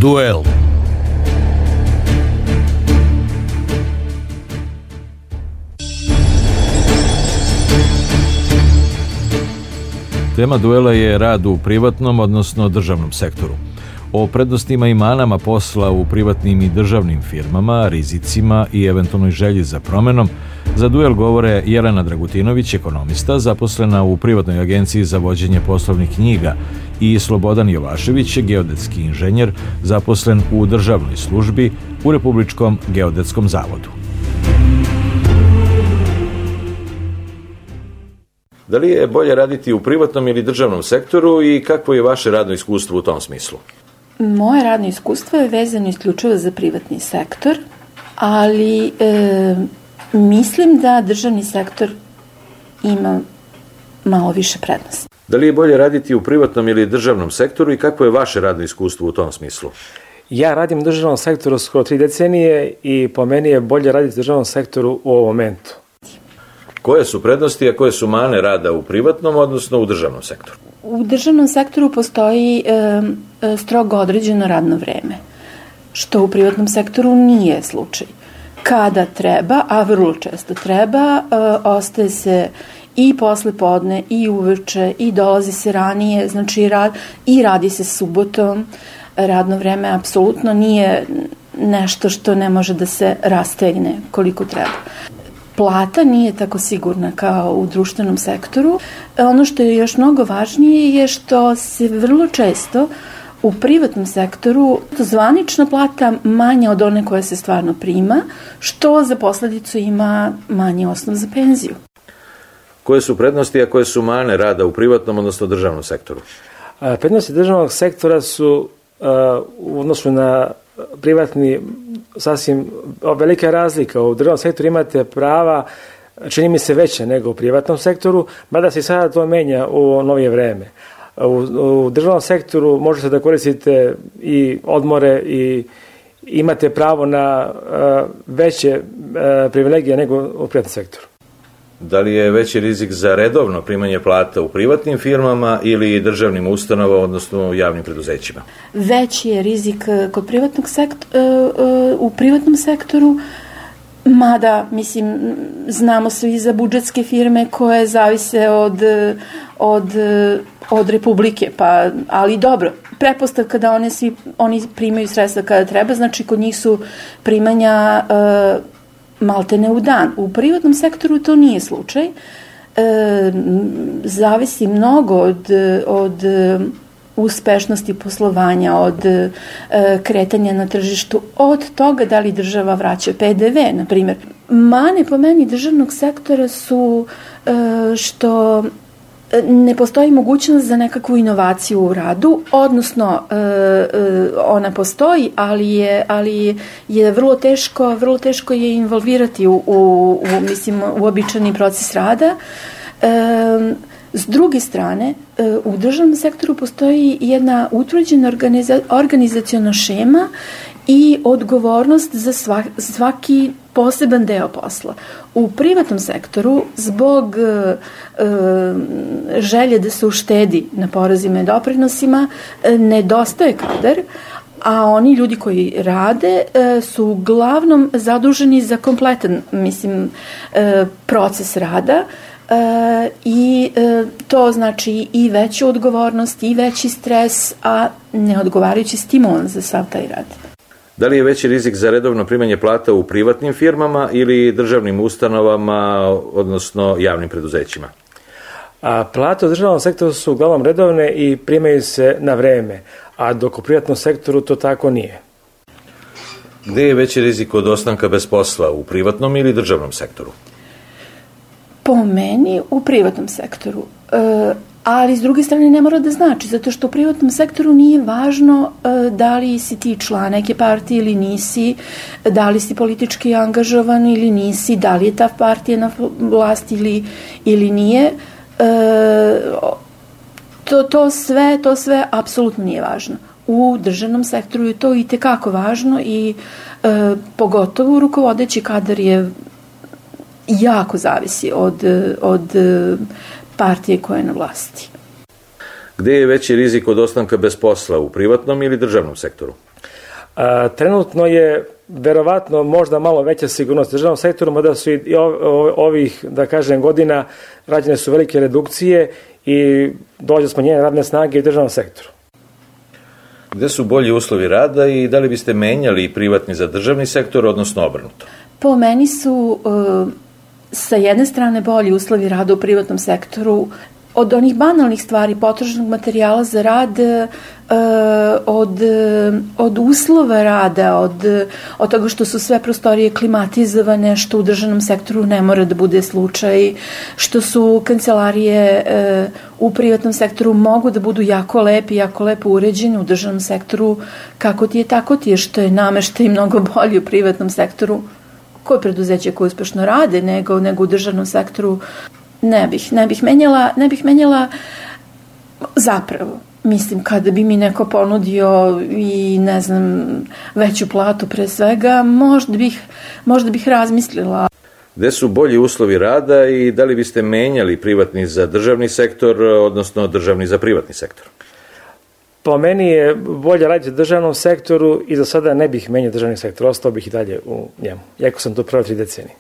Duel. Tema duela je rad u privatnom, odnosno državnom sektoru. O prednostima i manama posla u privatnim i državnim firmama, rizicima i eventualnoj želji za promenom, za duel govore Jelena Dragutinović, ekonomista, zaposlena u privatnoj agenciji za vođenje poslovnih knjiga, i Slobodan Jovašević, geodetski inženjer, zaposlen u državnoj službi u Republičkom geodetskom zavodu. Da li je bolje raditi u privatnom ili državnom sektoru i kakvo je vaše radno iskustvo u tom smislu? Moje radno iskustvo je vezano isključivo za privatni sektor, ali mislim da državni sektor ima malo više prednosti. Da li je bolje raditi u privatnom ili državnom sektoru i kakvo je vaše radno iskustvo u tom smislu? Ja radim u državnom sektoru skoro 3 decenije i po meni je bolje raditi u državnom sektoru u ovom momentu. Koje su prednosti, a koje su mane rada u privatnom, odnosno u državnom sektoru? U državnom sektoru postoji strogo određeno radno vreme, što u privatnom sektoru nije slučaj. Kada treba, a vrlo često treba, ostaje se i posle podne, i uveče, i dolazi se ranije, znači i radi se subotom. Radno vreme apsolutno nije nešto što ne može da se rastegne koliko treba. Plata nije tako sigurna kao u društvenom sektoru. Ono što je još mnogo važnije je što se vrlo često u privatnom sektoru zvanična plata manja od one koja se stvarno prima, što za posledicu ima manji osnov za penziju. Koje su prednosti, a koje su mane rada u privatnom, odnosno državnom sektoru? Prednosti državnog sektora su u odnosu na privatni sasvim velika razlika. U državnom sektoru imate prava, čini mi se, veće nego u privatnom sektoru, mada se sada to menja u novije vreme. U državnom sektoru možete da koristite i odmore i imate pravo na veće privilegije nego u privatnom sektoru. Da li je veći rizik za redovno primanje plata u privatnim firmama ili državnim ustanovama, odnosno javnim preduzećima? Veći je rizik kod u privatnom sektoru, mada, mislim, znamo svi za budžetske firme koje zavise od Republike, ali dobro, pretpostavka da oni primaju sredstva kada treba, znači kod njih su primanja maltene u dan. U privatnom sektoru to nije slučaj. Zavisi mnogo od uspešnosti poslovanja, od kretanja na tržištu, od toga da li država vraća PDV, na primjer. Mane po meni državnog sektora su što ne postoji mogućnost za nekakvu inovaciju u radu, odnosno ona postoji, ali je vrlo teško je involvirati u uobičajeni proces rada. S druge strane, u državnom sektoru postoji jedna utvrđena organizaciona šema i odgovornost za svaki poseban deo posla. U privatnom sektoru, zbog želje da se uštedi na porezima i doprinosima, nedostaje kadar, a oni ljudi koji rade su uglavnom zaduženi za kompletan, proces rada, i to znači i veću odgovornost, i veći stres, a neodgovarajući stimulans za sav taj rad. Da li je veći rizik za redovno primanje plata u privatnim firmama ili državnim ustanovama, odnosno javnim preduzećima? Plate u državnom sektoru su uglavnom redovne i primaju se na vreme, a dok u privatnom sektoru to tako nije. Gde je veći rizik od ostanka bez posla, u privatnom ili državnom sektoru? Po meni u privatnom sektoru, ali s druge strane ne mora da znači, zato što u privatnom sektoru nije važno da li si ti član neke partije ili nisi, da li si politički angažovan ili nisi, da li je ta partija na vlasti ili nije. To sve apsolutno nije važno. U državnom sektoru je to itekako važno i pogotovo rukovodeći kadar je jako zavisi od partije koja je na vlasti. Gde je veći rizik od ostanka bez posla, u privatnom ili državnom sektoru? Trenutno je verovatno možda malo veća sigurnost u državnom sektoru, mada su i ovih, da kažem, godina rađene su velike redukcije i dođe do smanjenja radne snage u državnom sektoru. Gde su bolji uslovi rada i da li biste menjali privatni za državni sektor, odnosno obrnuto? Po meni su sa jedne strane bolji uslovi rada u privatnom sektoru, od onih banalnih stvari, potrošnog materijala za rad, od uslova rada, od toga što su sve prostorije klimatizovane, što u državnom sektoru ne mora da bude slučaj, što su kancelarije u privatnom sektoru mogu da budu jako lepo uređene, u državnom sektoru kako ti je, tako ti je, što je nameštaj mnogo bolji u privatnom sektoru. Koje preduzeće koje uspešno rade nego u državnom sektoru, ne bih menjala zapravo. Mislim, kada bi mi neko ponudio i, ne znam, veću platu pre svega, možda bih razmislila. Gde su bolji uslovi rada i da li biste menjali privatni za državni sektor, odnosno državni za privatni sektor? Po meni je bolje raditi u državnom sektoru i za sada ne bih menjao državni sektor, ostao bih i dalje u njemu, iako sam to prvo 3 decenije.